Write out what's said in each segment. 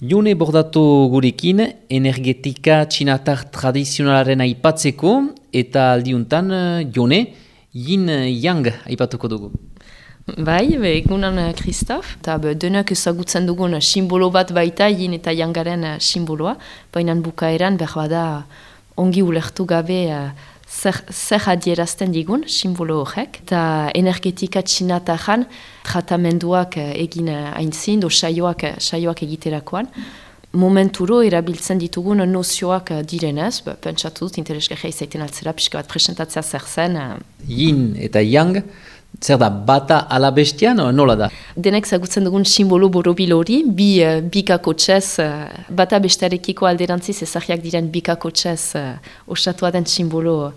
Jone bordatu gurekin, energetika txinatar tradizionalaren aipatzeko, eta aldiuntan, Jone, yin-yang aipatuko dugu. Bai, egunan Kristof, eta denak ezagutzen dugun simbolo bat baita yin eta yangaren simboloa, baina bukaeran berbada ongi ulertu gabe zer adierazten digun simbolo horrek, eta energetika txinataran tratamenduak egin aintzin, saioak egiterakoan. Momenturo erabiltzen ditugun nozioak direnez, pentsatu dut interesgarria izaiten altzera, pixka bat presentatzea zer zen. Yin eta yang, zer da, bata ala bestian, nola da? Denek zagutzen dugun simbolo borobil hori, bikako txez, bata bestearekiko alderantziz ezagiak diren bikako txez osatua den simbolo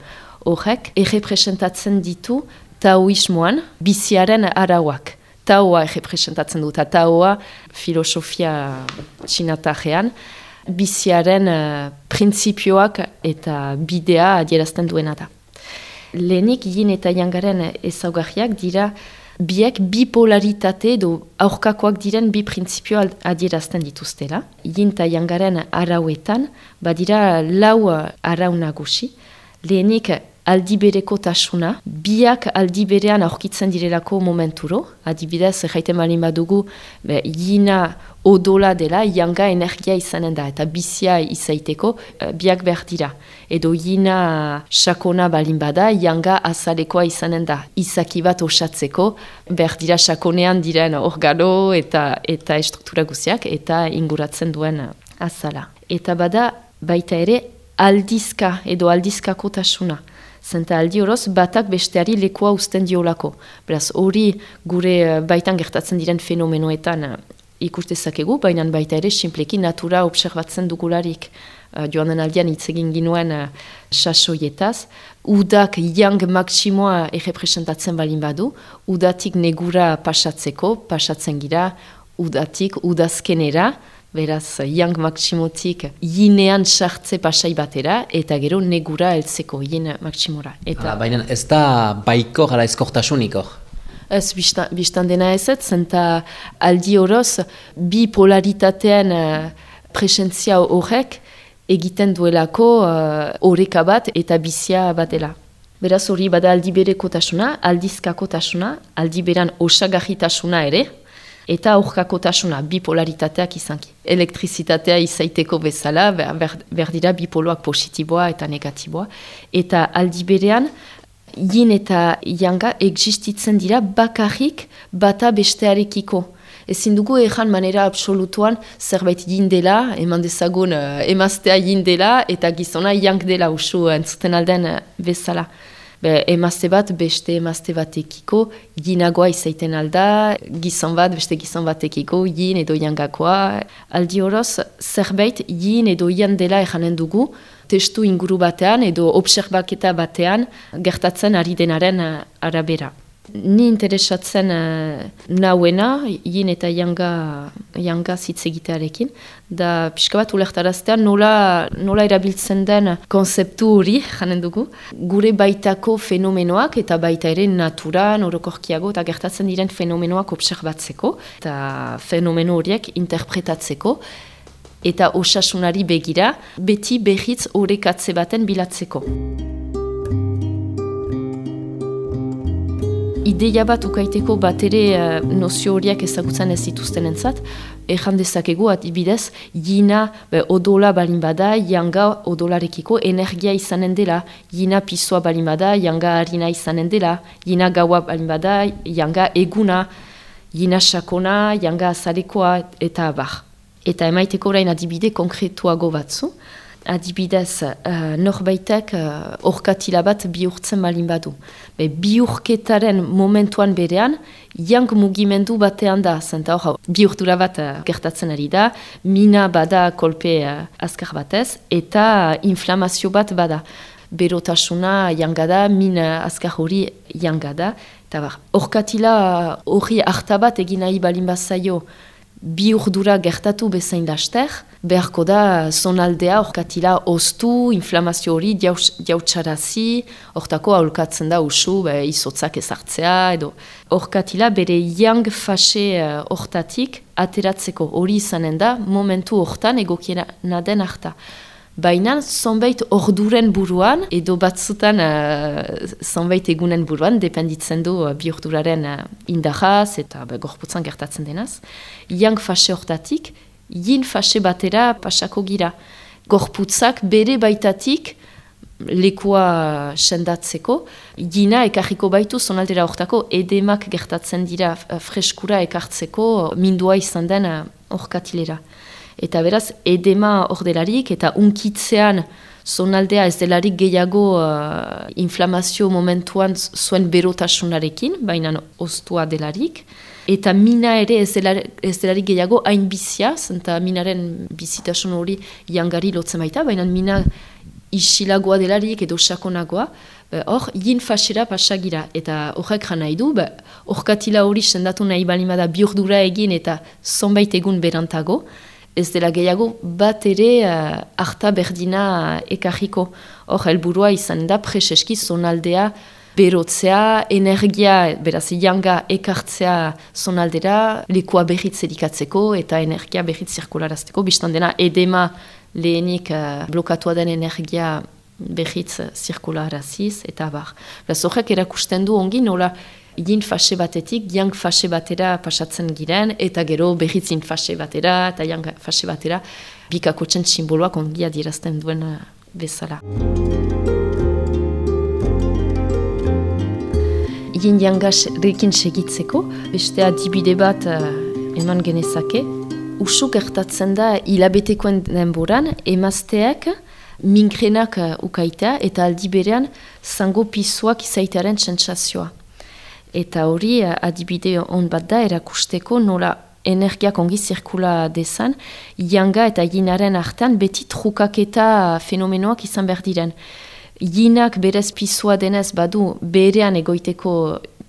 horrek, errepresentatzen ditu taoismoan biziaren arauak. Taoa errepresentatzen dut, taoa filosofia txinatarean, biziaren printzipioak eta bidea adierazten duena da. Lehenik yin eta yangaren ezaugarriak dira biek bipolaritate edo aurkakoak diren bi printzipio adierazten dituztela. Yin eta yangaren arauetan badira lau arau nagusi. Lehenik aldibereko tasuna, biak aldiberean aurkitzen direlako momenturo. Adibidez, jaiten malin badugu, yina odola dela, yanga energia izanen da, eta bizia izaiteko biak behar dira. Edo yina sakona balin bada, yanga azalekoa izanen da. Izaki bat osatzeko, behar dira sakonean diren organo eta estruktura guziak, eta inguratzen duen azala. Eta bada, baita ere, aldizka edo aldizkako tasuna. Zenta aldi horoz, batak besteari lekua uzten diolako. Beraz, hori gure baitan gertatzen diren fenomenoetan ikustezakegu, baina baita ere simpleki natura observatzen dugularik. Joan den aldian hitz egin ginuen sasoietaz. Udak yang maksimoa errepresentatzen balin badu, udatik negura pasatzen gira, udatik udazkenera, beraz, yang maksimotik yinean sartze pasai batera, eta gero negura heltzeko yin maksimora. Baina ez da baikor ala eskortasunik hor? Ez, biztan dena ezet, zenta aldi horoz, bi polaritatean presentzia horrek egiten duelako oreka bat eta bizia bat dela. Beraz, hori bada aldibereko tasuna, aldizkako tasuna, aldiberan osagarritasuna ere, eta aurkako tasuna, bipolaritateak izanki. Elektrizitatea izaiteko bezala, behar dira bipoloak positiboa eta negatiboa. Eta aldi berean, yin eta yanga existitzen dira bakarrik bata bestearekiko. Ezin dugu ejan manera absolutuan zerbait yin dela, eman dezagun emaztea yin dela, eta gizona yang dela usu entzuten alden bezala. Emazte bat beste emazte batekiko yinagoa izaiten alda, gizon bat beste gizon batekiko yin edo yangakoa. Aldi horoz, zerbait yin edo yan dela ejanen dugu, testu inguru batean edo obserbaketa batean gertatzen ari denaren arabera. Ni interesatzen nauena, yin eta yanga zitz egitearekin, da pixka bat ulertaraztean nola erabiltzen den konzeptu hori, janen dugu, gure baitako fenomenoak eta baita ere naturan, orokorkiago, eta gertatzen diren fenomenoak obserbatzeko, eta fenomeno horiek interpretatzeko, eta osasunari begira, beti behitz orekatze baten bilatzeko. Ideia bat ukaiteko bat ere nozio horiek ezagutzen ez dituzten entzat, ejan dezakegu adibidez, yina odola balin bada, yanga odolarekiko energia izanen dela, yina pisoa balin bada, yanga harina izanen dela, yina gaua balin bada, yanga eguna, yina sakona, yanga azalekoa eta abar. Eta emaiteko orain adibide konkretuago batzu, adibidez, norbaitek orkatila bat bihurtzen balin badu. Bihurketaren momentuan berean, yang mugimendu batean da, zenta hor, bihurtura bat gertatzen ari da, mina bada kolpe azkar batez, eta inflamazio bat bada. Berotasuna yanga da, mina azkar hori yanga da, eta orkatila hori hartabat egin nahi balin bazaio, bi urdura gertatu bezain laster, beharko da zonaldea orkatila oztu, inflamazio hori jautxarazi, hortako aholkatzen da usu izotzak ezartzea, edo orkatila bere yang fase hortatik ateratzeko hori izanen da momentu hortan egokiena den harta. Baina zonbait orduren buruan, edo batzutan zonbait egunen buruan, dependitzen du bi orduraren indahaz eta gorputzan gertatzen denaz, yang fase hortatik, yin fase batera pasako gira. Gorputzak bere baitatik lekua sendatzeko, yina ekarriko baitu zonaldera hortako edemak gertatzen dira freskura ekartzeko mindua izan den orkatilera. Eta beraz, edema hor delarik eta unkitzean zonaldea ez delarik gehiago inflamazio momentuan zuen berotasunarekin, baina oztua delarik. Eta mina ere ez delarik gehiago hain bizia, zenta minaren bizitasun hori jangari lotzen baita, baina mina isilagoa delarik edo sakonagoa, hor, yin fasera pasagira. Eta horrek jana nahi du, orkatila hori sendatu nahi balimada bi ordura egin eta zonbait egun berantago, ez dela gehiago bat ere harta berdina ekarriko. Hor, helburua izan da preseski zonaldea berotzea, energia, beraz, yanga ekartzea zonaldera, lekua berriz edikatzeko eta energia berriz zirkularazteko. Bistan dena, edema lehenik blokatua den energia berriz zirkularaziz eta bar. Beraz, horrek erakusten du ongi nola yin fase batetik, yang fase batera pasatzen giren, eta gero berriz yin fase batera, eta yang fase batera, bikakotzen simboloak ongi adierazten duen bezala. Yin yangarekin segitzeko, beste adibide bat eman genezake, usu gertatzen da hilabetekoen denboran, emazteak mingrenak ukaitea, eta aldi berean zango pisoak izaitearen sentsazioa. Eta hori adibide on bat da erakusteko nola energiak ongi zirkula dezan, yanga eta yinaren artean beti trukaketa fenomenoak izan behar diren. Yinak berez pisua denez badu berean egoiteko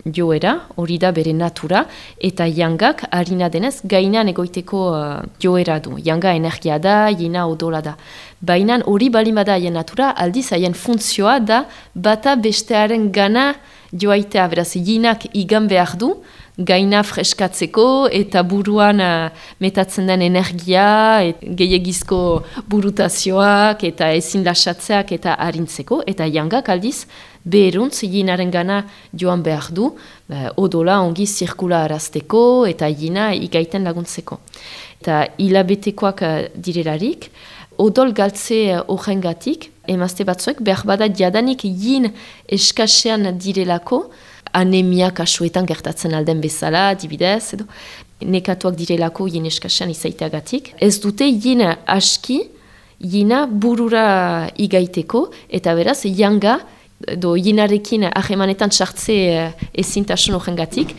joera, hori da bere natura, eta yangak harina denez gainan egoiteko joera du. Yanga energia da, yina odola da. Baina hori balimada haien natura, aldiz haien funtzioa da bata bestearen gana joaitea, beraz, yinak igan behar du, gaina freskatzeko eta buruan metatzen den energia, gehiagizko burutazioak eta ezin lasatzeak eta harintzeko, eta yangak aldiz, beheruntz yinaren gana joan behar du, odola ongi zirkula arazteko eta yina igaiten laguntzeko. Eta hilabetekoak direlarik, odol galtze horrengatik, emazte batzuek, behar bada jadanik yin eskasean direlako, anemia kasuetan gertatzen alden bezala, dibidez, edo, nekatuak direlako yin eskasean izaiteagatik. Ez dute yin aski, yina burura igaiteko, eta beraz, yanga, edo yinarekin ahemanetan sartze ezintasun horrengatik,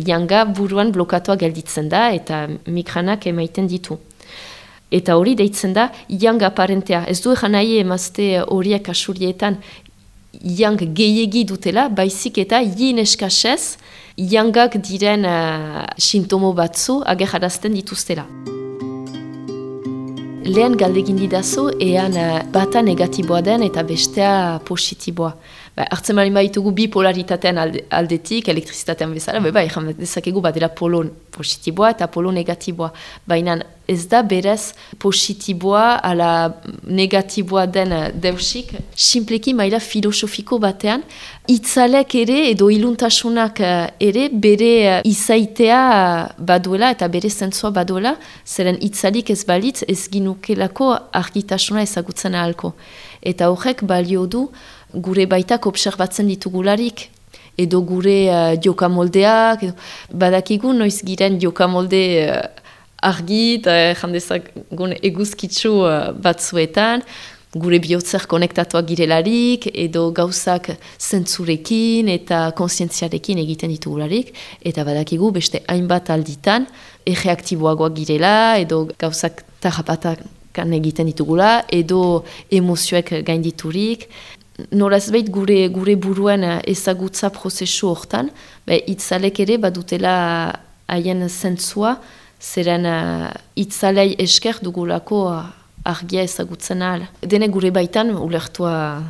yanga buruan blokatua gelditzen da, eta migranak emaiten ditu. Eta hori deitzen da, yang aparentea. Ez du egan nahi emazte horiek asurietan yang gehiegi dutela, baizik eta yin eskasez, yangak diren sintomo batzu agerrarazten dituztela. Lehen galdegin didazu, ean bata negatiboa den eta bestea positiboa. Hartzen mali baitugu bi polaritatean aldetik, elektrizitatean bezala, egan dezakegu badela polo positiboa eta polo negatiboa. Baina ez da berez positiboa ala negatiboa den deusik, simpleki maila filosofiko batean, itzalek ere edo iluntasunak ere bere izaitea baduela eta bere zentzua baduela, zeren itzalik ez balitz ez ginukelako argitasuna ezagutzen ahalko. Eta horrek balio du gure baitak observatzen ditugularik, edo gure jokamoldeak, badakigu noiz giren jokamolde argi eta jandezagun eguzkitzu batzuetan, gure bihotzer konektatuak girelarik, edo gauzak zentzurekin eta konsientziarekin egiten ditugularik, eta badakigu beste hainbat alditan erreaktiboagoak girela, edo gauzak tarrapatakan egiten ditugula, edo emozioek gainditurik. Norazbait gure buruen ezagutza prozesu hortan, itzalek ere badutela haien zentzua, zeren itzalei esker dugulako argia ezagutzen ahal. Dene gure baitan, ulertua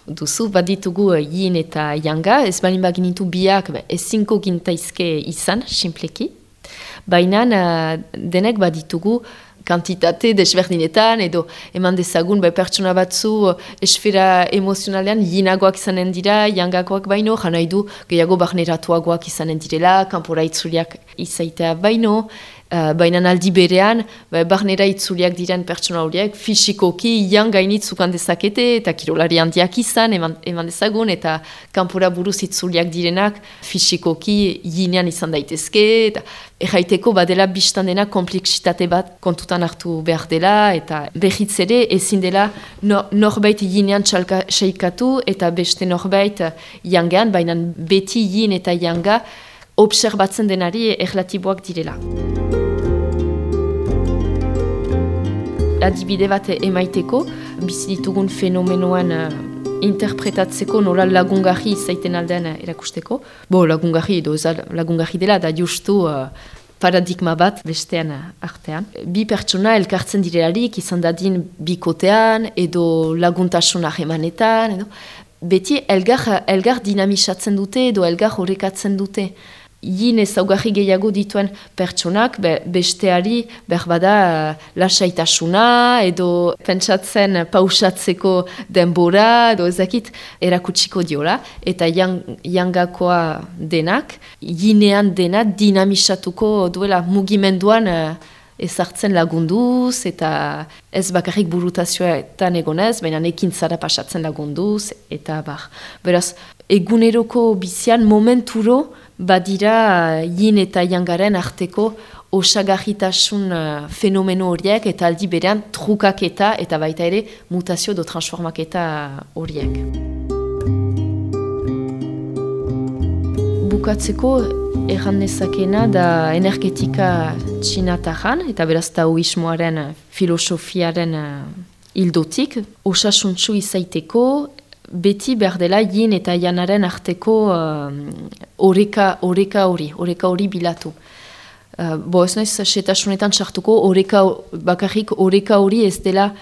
duzu, baditugu yin eta yanga, ez balin baginitu biak ezinko gintaizke izan, simpleki. Baina denek baditugu kantitate desberdinetan, edo eman dezagun pertsona batzu esfera emozionalean yinagoak izanen dira, yangakoak baino, janai du gehiago barneratuagoak izanen direla, kanpora itzuliak izaitea baino, baina aldi berean, barnera itzuliak diren pertsona horiek, fisikoki yang gainitzukan dezakete, eta kirolari handiak izan, eman dezagun, eta kanpora buruz itzuliak direnak, fisikoki yinean izan daitezke, eta erraiteko badela biztan dena kompleksitate bat kontutan hartu behar dela, eta behitz ere ezin dela norbait yinean txaikatu, eta beste norbait yangean, baina beti yin eta yanga obserbatzen denari erlatiboak direla. Adibide bat emaiteko, bizi ditugun fenomenoan interpretatzeko nola lagungarri izaiten aldean erakusteko. Lagungarri edo lagungarri dela da justu paradigma bat bestean artean. Bi pertsona elkartzen direlarik izan dadin bikotean edo laguntasun ahemanetan. Beti elgar dinamisatzen dute edo elgar horrekatzen dute. Yin ezaugarri gehiago dituen pertsonak besteari berbada lasaitasuna edo pentsatzen pausatzeko denbora edo ezakit erakutsiko diola eta yangakoa denak yinean dena dinamisatuko duela mugimenduan ezartzen lagunduz eta ez bakarrik burutazioetan egonez, baina ekintzara pasatzen lagunduz eta beraz eguneroko bizian momenturo badira yin eta yangaren arteko osagarritasun fenomeno horiek eta aldi berean trukaketa eta baita ere mutazio edo transformaketa horiek. Bukatzeko erran nezakena da energetika txinatajan eta beraz taoismoaren filosofiaren hildotik osasuntsu izaiteko beti behar dela yin eta yanaren arteko oreka hori bilatu. Ez naiz setasunetan sartuko bakarrik oreka hori ez dela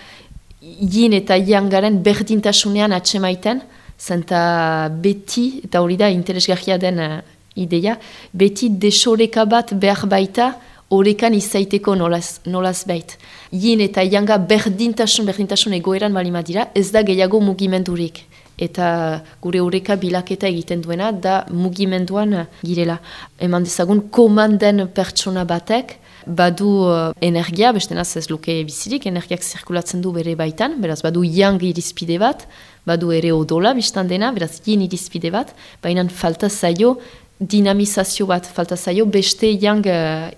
yin eta yangaren berdintasunean atsemaiten, zenta beti, eta hori da interesgarria den ideia, beti desoreka bat behar baita orekan izaiteko nolaz bait. Yin eta yanga berdintasun egoeran balima dira, ez da gehiago mugimendurik. Eta gure oreka bilaketa egiten duena da mugimenduan girela. Eman dezagun komanden pertsona batek badu energia, bestenaz ez luke bizirik, energiak zirkulatzen du bere baitan, beraz badu yang irizpide bat, badu ere odola biztan dena, beraz yin irizpide bat, baina falta zaio dinamizazio bat, falta zaio beste yang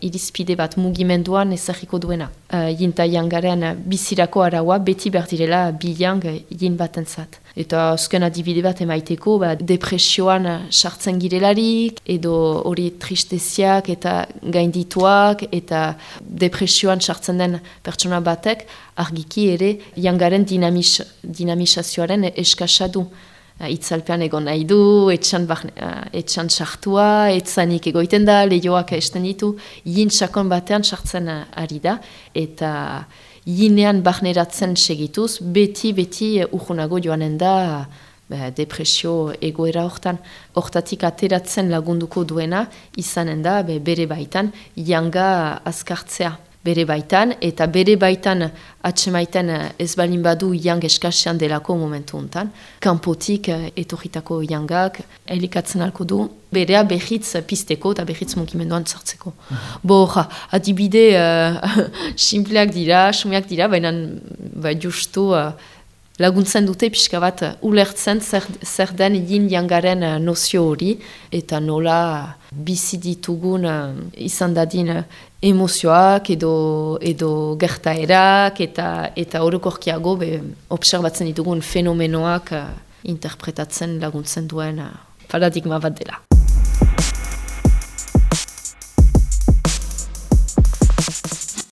irizpide bat mugimenduan ezagiko duena. Yin eta yangaren bizirako araua beti behar direla bi yang yin batentzat. Eta azken adibide bat emaiteko, depresioan sartzen girelarik, edo hori tristeziak eta gaindituak, eta depresioan sartzen den pertsona batek, argiki ere, yangaren dinamizazioaren eskasa du. Itzalpean egon nahi du, etxan sartua, etzanik egoiten da, lehioak esten ditu, yin sakon batean sartzen ari da, eta yinean barneratzen segituz, beti urgunago joanen da depresio egoera hortan. Hortatik ateratzen lagunduko duena, izanen da bere baitan, yanga azkartzea. Bere baitan, eta bere baitan atsemaiten ez balin badu yang eskasean delako momentu hontan. Kanpotik etorritako yangak elikatzen alko du, berea behitz pizteko eta behitz mugimenduan sartzeko. Adibide simpleak dira, sumeak dira, baina justu laguntzen dute pixka bat ulertzen zer den yin yangaren nozio hori, eta nola bizi ditugun izan dadin emozioak edo gertaerak eta orokorkiago obserbatzen ditugun fenomenoak interpretatzen laguntzen duen paradigma bat dela.